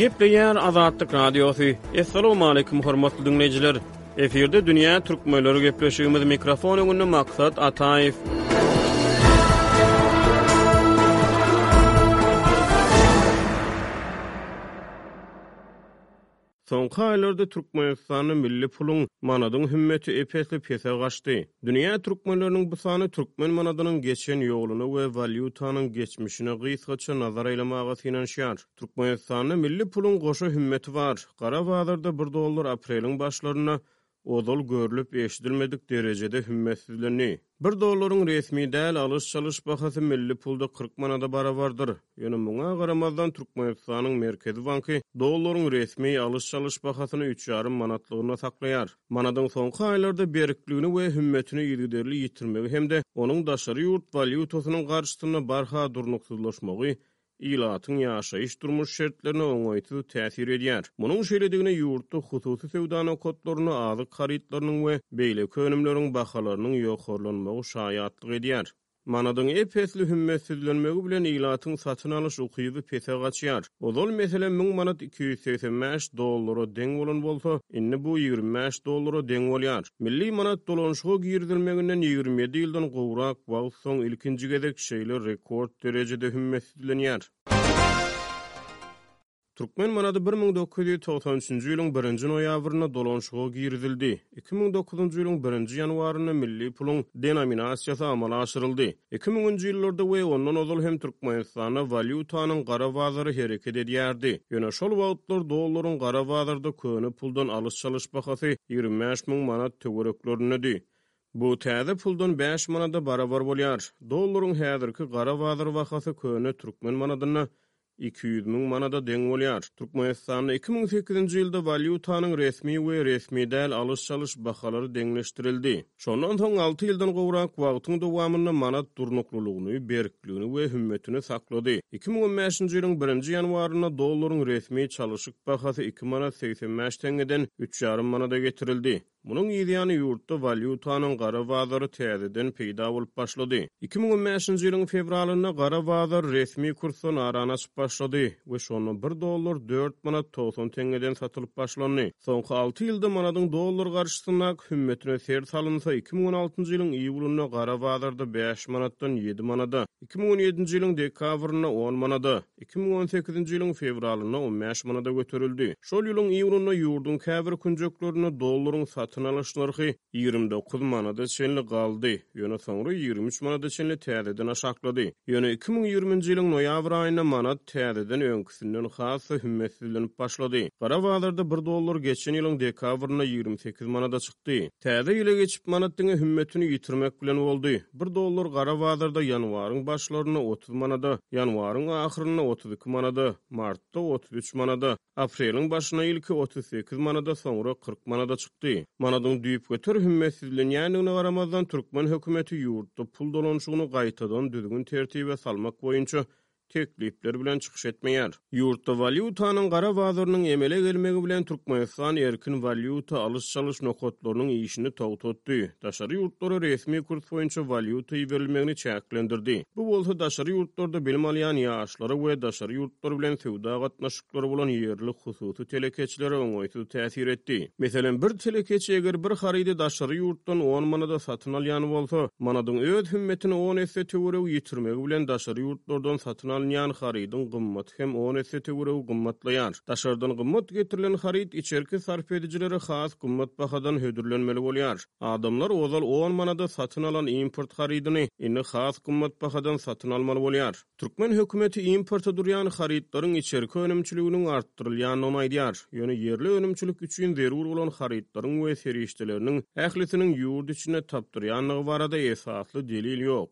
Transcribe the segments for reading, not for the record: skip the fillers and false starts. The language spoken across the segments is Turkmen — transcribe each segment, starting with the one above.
Gepleýär Azatlyk Radiosy. Assalamualaikum hormatly diňleýjiler. Efirde dünýä türkmenleri gepleşigimiz mikrofon öňünde Maksat Ataýew. Soňky aýlarda Türkmenistanda milli puluň, manadyň hümmeti ep-esli pese gaçdy. Dünýä türkmenleriniň bu sany türkmen manadynyň geçen ýoluna we walýutanyň geçmişine gysgaça nazar aýlamaga synanyşýar. Türkmenistanda milli puluň goşa hümmeti bar. Gara bazarda bir dollar apreliň başlarynda ozal görlüp-eşidilmedik derejede hümmetsizlendi. Bir dollaryň resmi däl alyş-çalyş bahasy milli pulda 40 manada barabardyr. Ýöne muňa garamazdan, Türkmenistanyň Merkezi banky dollaryň resmi alyş-çalyş bahasyny üç ýarym manatlygyna saklaýar. Manadyň soňky aýlarda berkligini we hümmetini yzygiderli ýitirmegi hem-de onuň daşary ýurt walýutasynyň garşysynda barha durnuksyzlaşmagy ilatyň ýaşaýyş-durmuş şertlerine oňaýsyz täsir edýär. Munuň şeýledigine ýurtda hususy söwda nokatlarynda azyk harytlarynyň we beýleki önümleriň bahalarynyň ýokarlanmagy şaýatlyk edýär. Manadyň ep-esli hümmetsizlenmegi bilen ilatyň satyn alyş ukyby pese gaçýar. Ozal, meselem, 1000 manat 285 dollara deň bolan bolsa, indi bu 25 dollara deň bolýar. Milli manat dolanyşyga girizilmeginden 27 ýyldan gowrak wagt soň ilkinji gezek şeýle rekord derejede hümmetsizlenýär. Türkmen manady 1993-nji ýylyň birinji noýabrynda dolanyşyga girizildi. 2009-njy ýylyň birinji ýanwarynda milli puluň denominasiýasy amala aşyryldy. Iki müňünji ýyllarda we ondan ozal hem Türkmenistanda walýutanyň gara bazary hereket edýärdi. Ýöne şol wagtlar dollaryň gara bazarda köne puldan alyş-çalyş bahasy 25 müň manat töwereklerindedi. Bu täze puldan bäş manada barabar bolýar. Dollaryň häzirki gara bazar bahasy köne türkmen manadynda 200 müň manada deň bolýar. Türkmenistanda 2008-nji ýylda walýutanyň resmi we resmi däl alyş-çalyş bahalary deňleşdirildi. Şondan soň alty ýyldan gowrak wagtyň dowamynda manat durnuklylygyny, berkligini we hümmetini saklady. 2015-nji ýylyň birinji ýanwarynda dollaryň resmi çalyşyk bahasy iki manat 85 teňňeden üç ýarym manada getirildi. Munuň yzýany ýurtda walýutanyň gara bazary täzeden peýda bolup başlady. 2015-nji ýylyň fewralynda gara bazar resmi kursdan arany açyp başlady we şonda bir dollar dört manat 90 teňňeden satylyp başlandy. Soňky alty ýylda manadyň dollar garşysyndaky hümmetine ser salynsa, 2016-njy ýylyň iýulynda gara bazarda bäş manatdan ýedi manada, 2017-nji ýylyň dekabrynda on manada, 2018-nji ýylyň fewralynda 15 manada göterildi. Şol ýylyň iýunynda ýurduň käbir künjeklerinde dollaryň satyn alyş nyrhy 29 manada çenli galdy, ýöne soňra 23 manada çenli täzeden aşaklady. Ýöne 2020-nji ýylyň noýabr aýynda manat täzeden öňküsinden has-da hümmetsizlenip başlady. Gara bazarda bir dollar geçen ýylyň dekabrynda 28 manada çykdy. Täze ýyla geçip manat diňe hümmetini ýitirmek bilen boldy. Bir dollar gara bazarda ýanwaryň başlarynda 30 manada, ýanwaryň ahyrynda 32 manada, martda 33 manada, apreliň başynda ilki 38 manada, soňra 40 manada çykdy. Manadyň düýpgöter hümmetsizlenýändigine garamazdan, türkmen hökümeti ýurtda pul dolanyşygyny gaýtadan düzgün-tertibe salmak boýunça teklipler bilen çykyş etmeýär. Ýurtda walýutanyň gara bazarynyň emele gelmegi bilen Türkmenistan erkin walýuta alyş-çalyş nokatlarynyň işini togtatdy, daşary ýurtlara resmi kurs boýunça walýuta iberilmegini çäklendirdi. Bu bolsa daşary ýurtlarda bilim alýan ýaşlara we daşary ýurtlar bilen söwda gatnaşyklary bolan ýerli hususy telekeçilere oňaýsyz täsir etdi. Meselem, bir telekeçi eger bir harydy daşary ýurtdan on manada satyn alýan bolsa, manadyň öz hümmetini on esse töweregi ýitirmegi bilen daşary ýurtlardan satyn alynýan harydyň gymmaty hem on esse töweregi gymmatlaýar. Daşardan gymmat getirilen haryt içerki sarp edijilere has gymmat bahadan hödürlenmeli bolýar. Adamlar ozal on manada satyn alan import harydyny indi has gymmat bahadan satyn almaly bolýar. Türkmen hökümeti importa durýan harytlaryň içerki önümçiliginiň artdyrylýandygyny aýdýar. Ýöne ýerli önümçilik üçin zerur bolan harytlaryň we serişdeleriniň ählisiniň ýurt içinde tapdyrýandygy barada esasly delil ýok.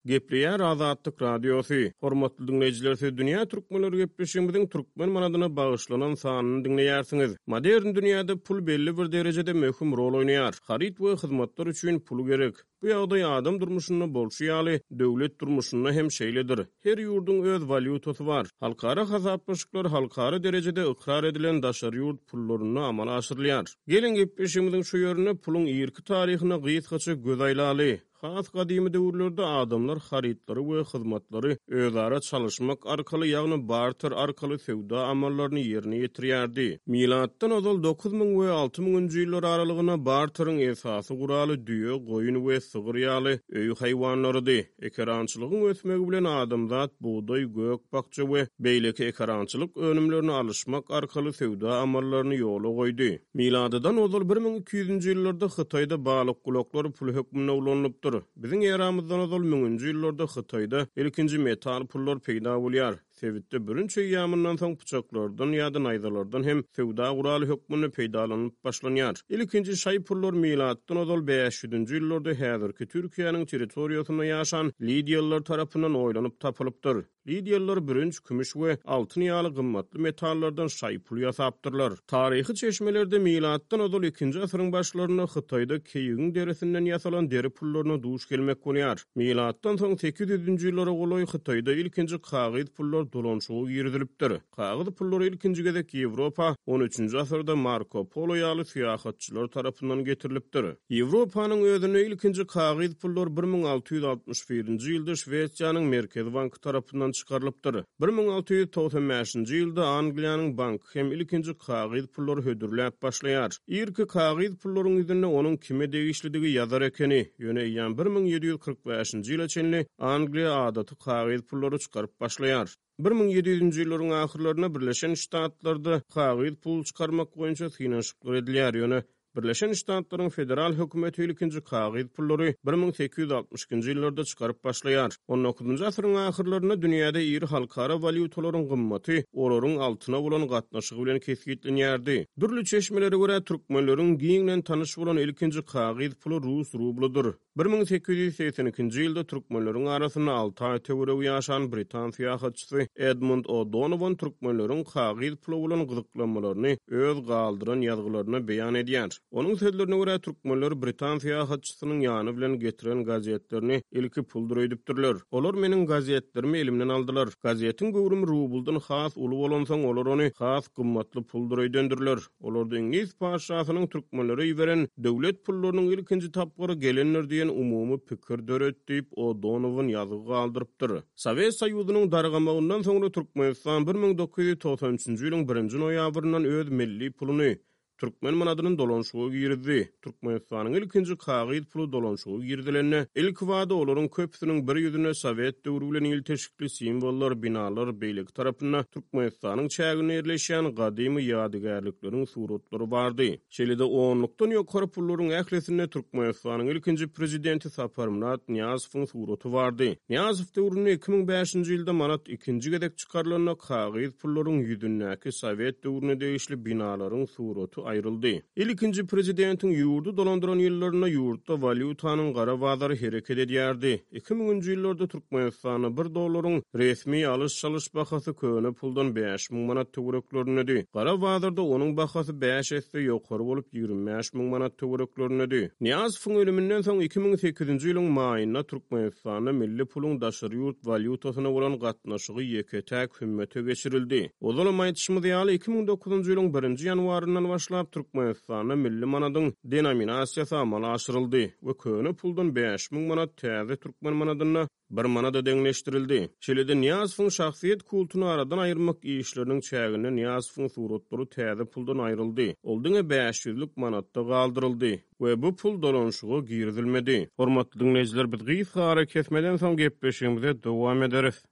Gepleýär Azatlyk Radiosy. Hormatly diňleýjiler, siz Dünýä Türkmenleri gepleşigimiziň türkmen manadyna bagyşlanan sanyny diňleýärsiňiz. Modern dünýäde pul belli bir derejede möhüm rol oýnaýar. Haryt we hyzmatlar üçin pul gerek. Bu ýagdaý adam durmuşynda bolşy ýaly, döwlet durmuşynda hem şeýledir. Her ýurduň öz walýutasy bar. Halkara hasaplaşyklar halkara derejede ykrar edilen daşary ýurt pullarynda amala aşyrylýar. Geliň, gepleşigimiziň şu ýerinde puluň irki taryhyna gysgaça göz aýlaly. Has gadymy döwürlerde adamlar harytlary we hyzmatlary özara çalyşmak arkaly, ýagny barter arkaly söwda amallaryny ýerine ýetirýärdi. Milatdan ozal 9000 we 6000-nji ýyllar aralygynda barteriň esasy guraly düýe, goýun we sygyr ýaly öý haýwanlarydy. Ekerançylygyň ösmegi bilen adamzat bugdaý, gök-bakja we beýleki ekerançylyk önümlerini alyşmak arkaly söwda amallaryny ýola goýdy. Miladydan ozal 1200-nji ýyllarda Hytaýda balykgulaklar pul hökmünde ulanylypdyr. Biziň eramyzdan ozal müňünji ýyllarda Hytaýda ilkinji metal pullar peýda bolýar. Sebitde bürünç eýýamyndan soň pyçaklardan ýa-da naýzalardan hem söwda guraly hökmünde peýdalanylyp başlanýar. Ilkinji şaý pullar milatdan ozal bäş ýüzünji ýyllarda häzirki Türkiýäniň territoriýasynda ýaşan lidiýalylar tarapyndan oýlanyp tapylypdyr. Lidiýalylar bürünç, kümüş we altyn ýaly gymmatly metallardan şaý pul ýasapdyrlar. Taryhy çeşmelerde milatdan ozal ikinji asyryň başlarynda Hytaýda keýigiň derisinden ýasalan deri pullaryna duş gelmek bolýar. Milatdan soň sekiz ýüzünji ýyllara golaý Hytaýda ilkinji kagyz pullar dolanyşyga girizilipdir. Kagyz pullary ilkinji gezek Ýewropa on üçünji asyrda Marko Polo ýaly syýahatçylar tarapyndan getirilipdir. Ýewropanyň özünde ilkinji kagyz pullar 1661-nji ýylda Şwesiýanyň Merkezi banky tarapyndan çykarylypdyr. 1695-nji ýylda Angliýanyň banky hem ilkinji kagyz pullary hödürläp başlaýar. Irki kagyz pullaryň ýüzünde onuň kime degişlidigi ýazar ekeni, ýöne eýýäm 1745-nji ýyla çenli Angliýa adaty kagyz pullary çykaryp başlaýar. 1700-nji ýyllaryň ahyrlarynda Birleşen Ştatlarda kagyz pul çykarmak boýunça synanyşyklar edilýär, ýöne Birleşen Ştatlaryň federal hökümeti ilkinji kagyz pullary 1862-nji ýyllarda çykaryp başlaýar. On dokuzynjy asyryň ahyrlarynda dünýäde iri halkara walýutalaryň gymmaty olaryň altyna bolan gatnaşygy bilen kesgitlenýärdi. Dürli çeşmelere görä, türkmenleriň giňden tanyş bolan ilkinji kagyz puly rus rublydyr. 1882-nji ýylda türkmenleriň arasynda alty aý töweregi ýaşan britan syýahatçysy Edmund O'Donowan türkmenleriň kagyz pula bolan gyzyklanmalaryny öz galdyran ýazgylarynda beýan edýär. Onuň sözlerine görä, türkmenler britan syýahatçysynyň ýany bilen getiren gazetlerini ilki puldur öýdüpdirler. Olar meniň gazetlerimi elimden aldylar. Gazetiň göwrümi rubldan has uly bolansoň, olar ony has gymmatly puldur öýdendirler. Olarda iňlis patyşasynyň türkmenlere iberen döwlet pullarynyň ilkinji tapgyry gelendir diýen umumy pikir döret diýip, O'Donowan ýazgy galdyrypdyr. Sowet Soýuzynyň dargamagyndan soňra Türkmenistan 1993-nji ýylyň birinji noýabryndan öz milli puluny, türkmen manadyny dolanyşyga girizdi. Türkmenistanyň ilkinji kagyz puly dolanyşyga girizilende, ilkibada olaryň köpüsiniň bir ýüzünde sowet döwri bilen ilteşikli simwollar, binalar, beýleki tarapynda Türkmenistanyň çäginde ýerleşýän gadymy ýadygärlikleriň suratlary bardy. Şeýle-de onlukdan ýokary pullaryň ählisinde Türkmenistanyň ilkinji Prezidenti Saparmyrat Nyýazowyň suraty bardy. Nyýazow döwründe 2005-nji ýylda manat ikinji gezek çykarylanda kagyz pullaryň ýüzündäki sowet döwrüne degişli binalaryň suraty aýryldy. Ilkinji prezidentiň ýurdy dolandyran ýyllarynda ýurtda walýutanyň gara bazary hereket edýärdi. Iki müňünji ýyllarda Türkmenistanda bir dollaryň resmi alyş-çalyş bahasy köne puldan 5000 manat töwereklerindedi. Gara bazarda onuň bahasy bäş esse ýokary bolup, 25 müň manat töwereklerindedi. Nyýazowyň ölüminden soň 2008-nji ýylyň maýynda Türkmenistanda milli puluň daşary ýurt walýutasyna bolan gatnaşygy ýeke-täk hümmete geçirildi. Ozalam aýdyşymyz ýaly, 2009-njy ýylyň birinji ýanwaryndan başlap Türkmenistanda milli manadyň denominasiýasy amala aşyryldy we köne puldan 5000 manat täze türkmen manadynda bir manada deňleşdirildi. Şeýle-de Nyýazowyň şahsyýet kultuny aradan aýyrmak işleriniň çäginde Nyýazowyň suratlary täze puldan aýryldy. Ol diňe bäş ýüzlük manatda galdyryldy we bu pul dolanyşyga girizilmedi. Hormatly diňleýjiler, biz gysga arakesmeden soň gepleşigimize dowam ederis.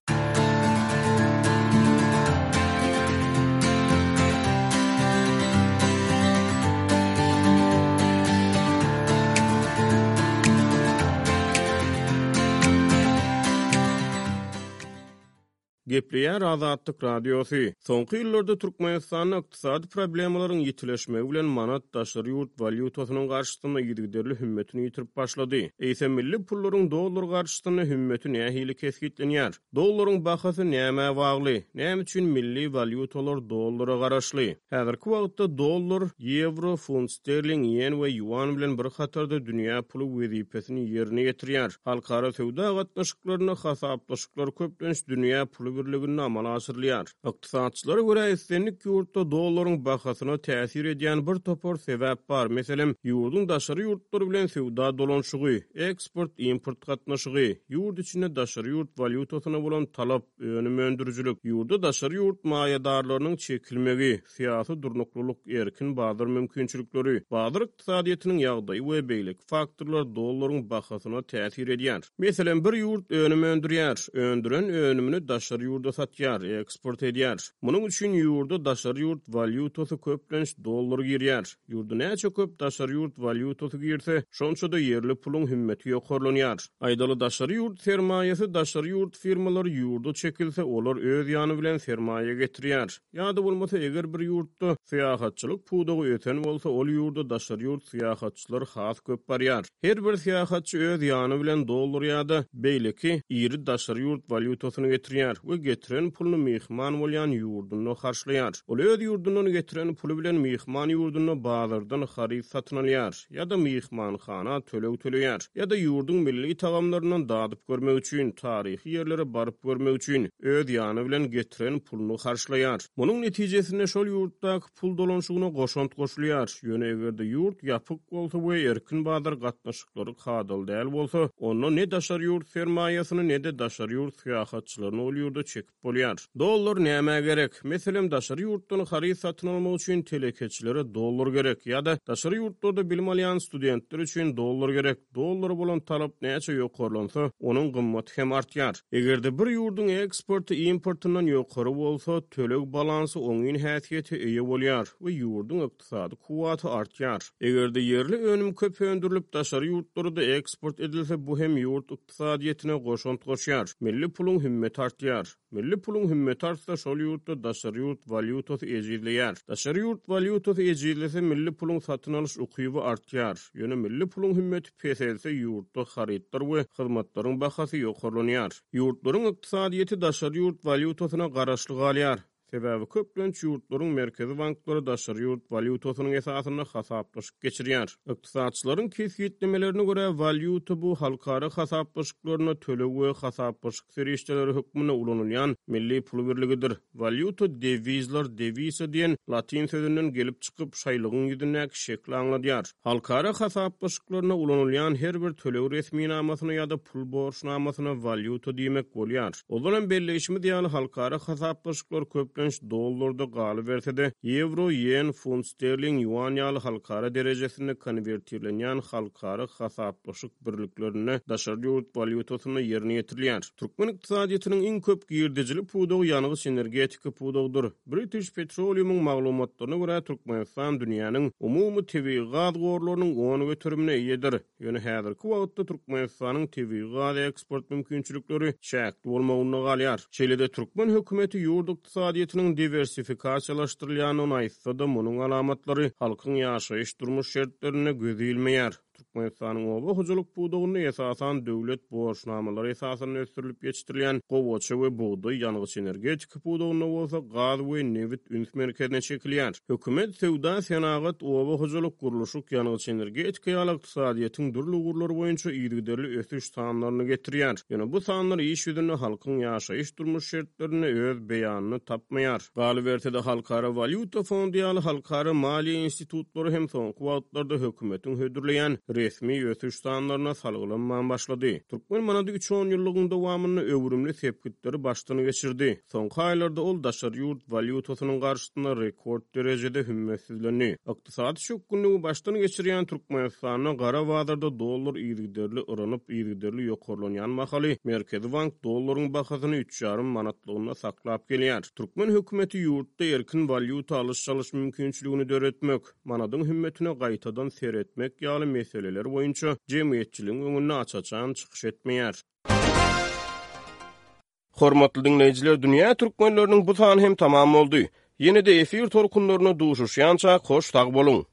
Gepleýär Azatlyk Radiosy. Soňky ýyllarda Türkmenistanda ykdysady problemalaryň ýitileşmegi bilen manat daşary ýurt walýutasynyň garşysynda yzygiderli hümmetini ýitirip başlady. Eýsem milli pullaryň dollar garşysynda hümmeti nähili kesgitlenýär? Dollaryň bahasy nämä bagly? Näme üçin milli walýutalar dollara garaşly? Häzirki wagtda dollar, ýewro, funt sterling, ýen we ýuan bilen bir hatarda dünýä puly wezipesini ýerine ýetirýär. Halkara söwda gatnaşyklarynda hasaplaşyklar köplenç dünýä puly. birliginde amala aşyrylýar. Ykdysatçylara görä, islendik ýurtda dollaryň bahasyna täsir edýän bir topar sebäp bar, meselem, ýurduň daşary ýurtlar bilen söwda dolanyşygy, eksport-import gatnaşygy, ýurt içinde daşary ýurt walýutasyna bolan talap, önüm öndürijilik, ýurda daşary ýurt maýadarlarynyň çekilmegi, syýasy durnuklylyk, erkin bazar mümkinçilikleri, bazar ykdysadyýetiniň ýagdaýy we beýleki faktorlar dollaryň bahasyna täsir edýär. Meselem, bir ýurt önüm öndürýär, öndüren önümini daşary ýurda satýar, eksport edýär. Munuň üçin ýurda daşary ýurt walýutasy, köplenç dollar girýär. Ýurda näçe köp daşary ýurt walýutasy girse, şonça-da ýerli puluň hümmeti ýokarlanýar. Aýdaly, daşary ýurt sermaýasy, daşary ýurt firmalary ýurda çekilse, olar öz ýany bilen sermaýa getirýär. Ýa-da bolmasa, eger bir ýurtda syýahatçylyk pudagy ösen bolsa, ol ýurda daşary ýurt syýahatçylary has köp barýar. Her bir syýahatçy öz ýany bilen dollar ýa-da beýleki iri daşary ýurt walýutasyny getirýär we getiren puluny myhman bolýan ýurdunda harçlaýar. Ol öz ýurdundan getiren puly bilen myhman ýurdunda bazardan haryt satyn alýar. ýa-da myhmanhana töleg töleýär, ýa-da ýurduň milli tagamlaryndan dadyp görmek üçin, taryhy ýerlere baryp görmek üçin öz ýany bilen getiren puluny harçlaýar. Munuň netijesinde şol ýurtdaky pul dolanyşygyna goşant goşulýar. Ýöne eger-de ýurt ýapyk bolsa we erkin bazar gatnaşyklary kadaly däl bolsa, onda ne daşary ýurt sermaýasyny, ne-de daşary ýurt syýahatçylaryny ol ýurda çekip Bolýar. Dollar nämä gerek? Meselem, daşary ýurtdan haryt satyn almak üçin telekeçilere dollar gerek ýa-da daşary ýurtlarda bilim alýan studentler üçin dollar gerek. Dollara bolan talap näçe ýokarlansa, onuň gymmaty hem artýar. Eger-de bir ýurduň eksporty importyndan ýokary bolsa, töleg balansy oňyn häsiýete eýe bolýar we ýurduň ykdysady kuwwaty artýar. Eger-de ýerli önüm köp öndürilip, daşary ýurtlara-da eksport edilse, bu hem ýurt ykdysadyýetine goşant goşýar. Milli puluň hümmeti artýar. Milli puluň hümmeti artsa, şol ýurtda daşary ýurt walýutasy ejizleýär. Daşary ýurt walýutasy ejizlese, milli puluň satyn alyş ukyby artýar. Ýöne milli puluň hümmeti peselse, ýurtda harytlar we hyzmatlaryň bahasy ýokarlanýar. Ýurtlaryň ykdysadyýeti daşary ýurt walýutasyna garaşly galýar. Sebäbi köplenç ýurtlaryň merkezi banklary daşary ýurt walýutasynyň esasynda hasaplaşyk geçirýär. Ykdysatçylaryň kesgitlemelerine görä, walýuta bu halkara hasaplaşyklarynda töleg we hasaplaşyk serişdeleri hökmünde ulanylýan milli pul birligidir. Walýuta dewizler, devisa diýen latyn sözünden gelip çykyp, şaýlygyň ýüzündäki şekli aňladýar. Halkara hasaplaşyklarynda ulanylýan her bir töleg resminamasyna ýa-da pul borçnamasyna walýuta diýmek bolýar. Ozalam belleýşimiz ýaly, halkara hasaplaşyklar köplenç dollarda galyberse-de, ýewro, ýen, funt sterling, ýuan ýaly halkara derejesinde konwertirlenýän halkara hasaplaşyk birliklerinde daşary ýurt walýutasynda ýerine ýetirilýär. Türkmen ykdysadyýetiniň iň köp girdejili pudagy ýangyç-energetika pudagydyr. British Petroleum-yň maglumatlaryna görä, Türkmenistan dünýäniň umumy tebigy gaz gorlarynyň on göterimine eýedir. Ýöne häzirki wagtda Türkmenistanyň tebigy gaz eksport mümkinçilikleri çäkli bolmagynda galýar. Şeýle-de türkmen hökümeti ýurt ykdysadyýetiniň diwersifikasiýalaşdyrylýandygyny aýtsa-da, munuň alamatlary halkyň ýaşaýyş-durmuş şertlerinde göze ilmeýär. Türkmenistanyň oba hojalyk pudagynda esasan döwlet borçnamalary esasynda ösdürilip ýetişdirilýän gowaça we bugdaý, ýangyç-energetika pudagynda bolsa gaz we nebit üns merkezine çekilýär. Hökümet söwda, senagat, oba hojalyk, gurluşyk, ýangyç-energetika ýaly ykdysadyýetiň dürli ugurlary boýunça yzygiderli ösüş sanlaryny getirýär. Ýöne bu sanlar iş ýüzünde halkyň ýaşaýyş-durmuş şertlerinde öz beýanyny tapmaýar. Galyberse-de, Halkara walýuta fondy ýaly halkara maliýe institutlary hem soňky wagtlarda hökümetiň hödürleýän resmi ösüş sanlaryna salgylanman başlady. Türkmen manady üç onýyllygyň dowamynda öwrümli sepgitleri başdan geçirdi. Soňky aýlarda ol daşary ýurt walýutasynyň garşysynda rekord derejede hümmetsizlendi. Ykdysady çökgünligi başdan geçirýän Türkmenistanda gara bazarda dollar yzygiderli yranyp, yzygiderli ýokarlanýan mahaly Merkezi bank dollaryň bahasyny üç ýarym manatlygynda saklap gelýär. Türkmen hökümeti ýurtda erkin walýuta alyş-çalyş mümkinçiligini döretmek, manadyň hümmetine gaýtadan seretmek ýaly meseleler boýunça jemgyýetçiligiň öňünde aç-açan çykyş etmeýär. Hormatly diňleýjiler, dünýä türkmenleriniň bu sany hem tamam boldy. Ýene-de efir tolkunlarynda duşuşýançak hoş sag boluň!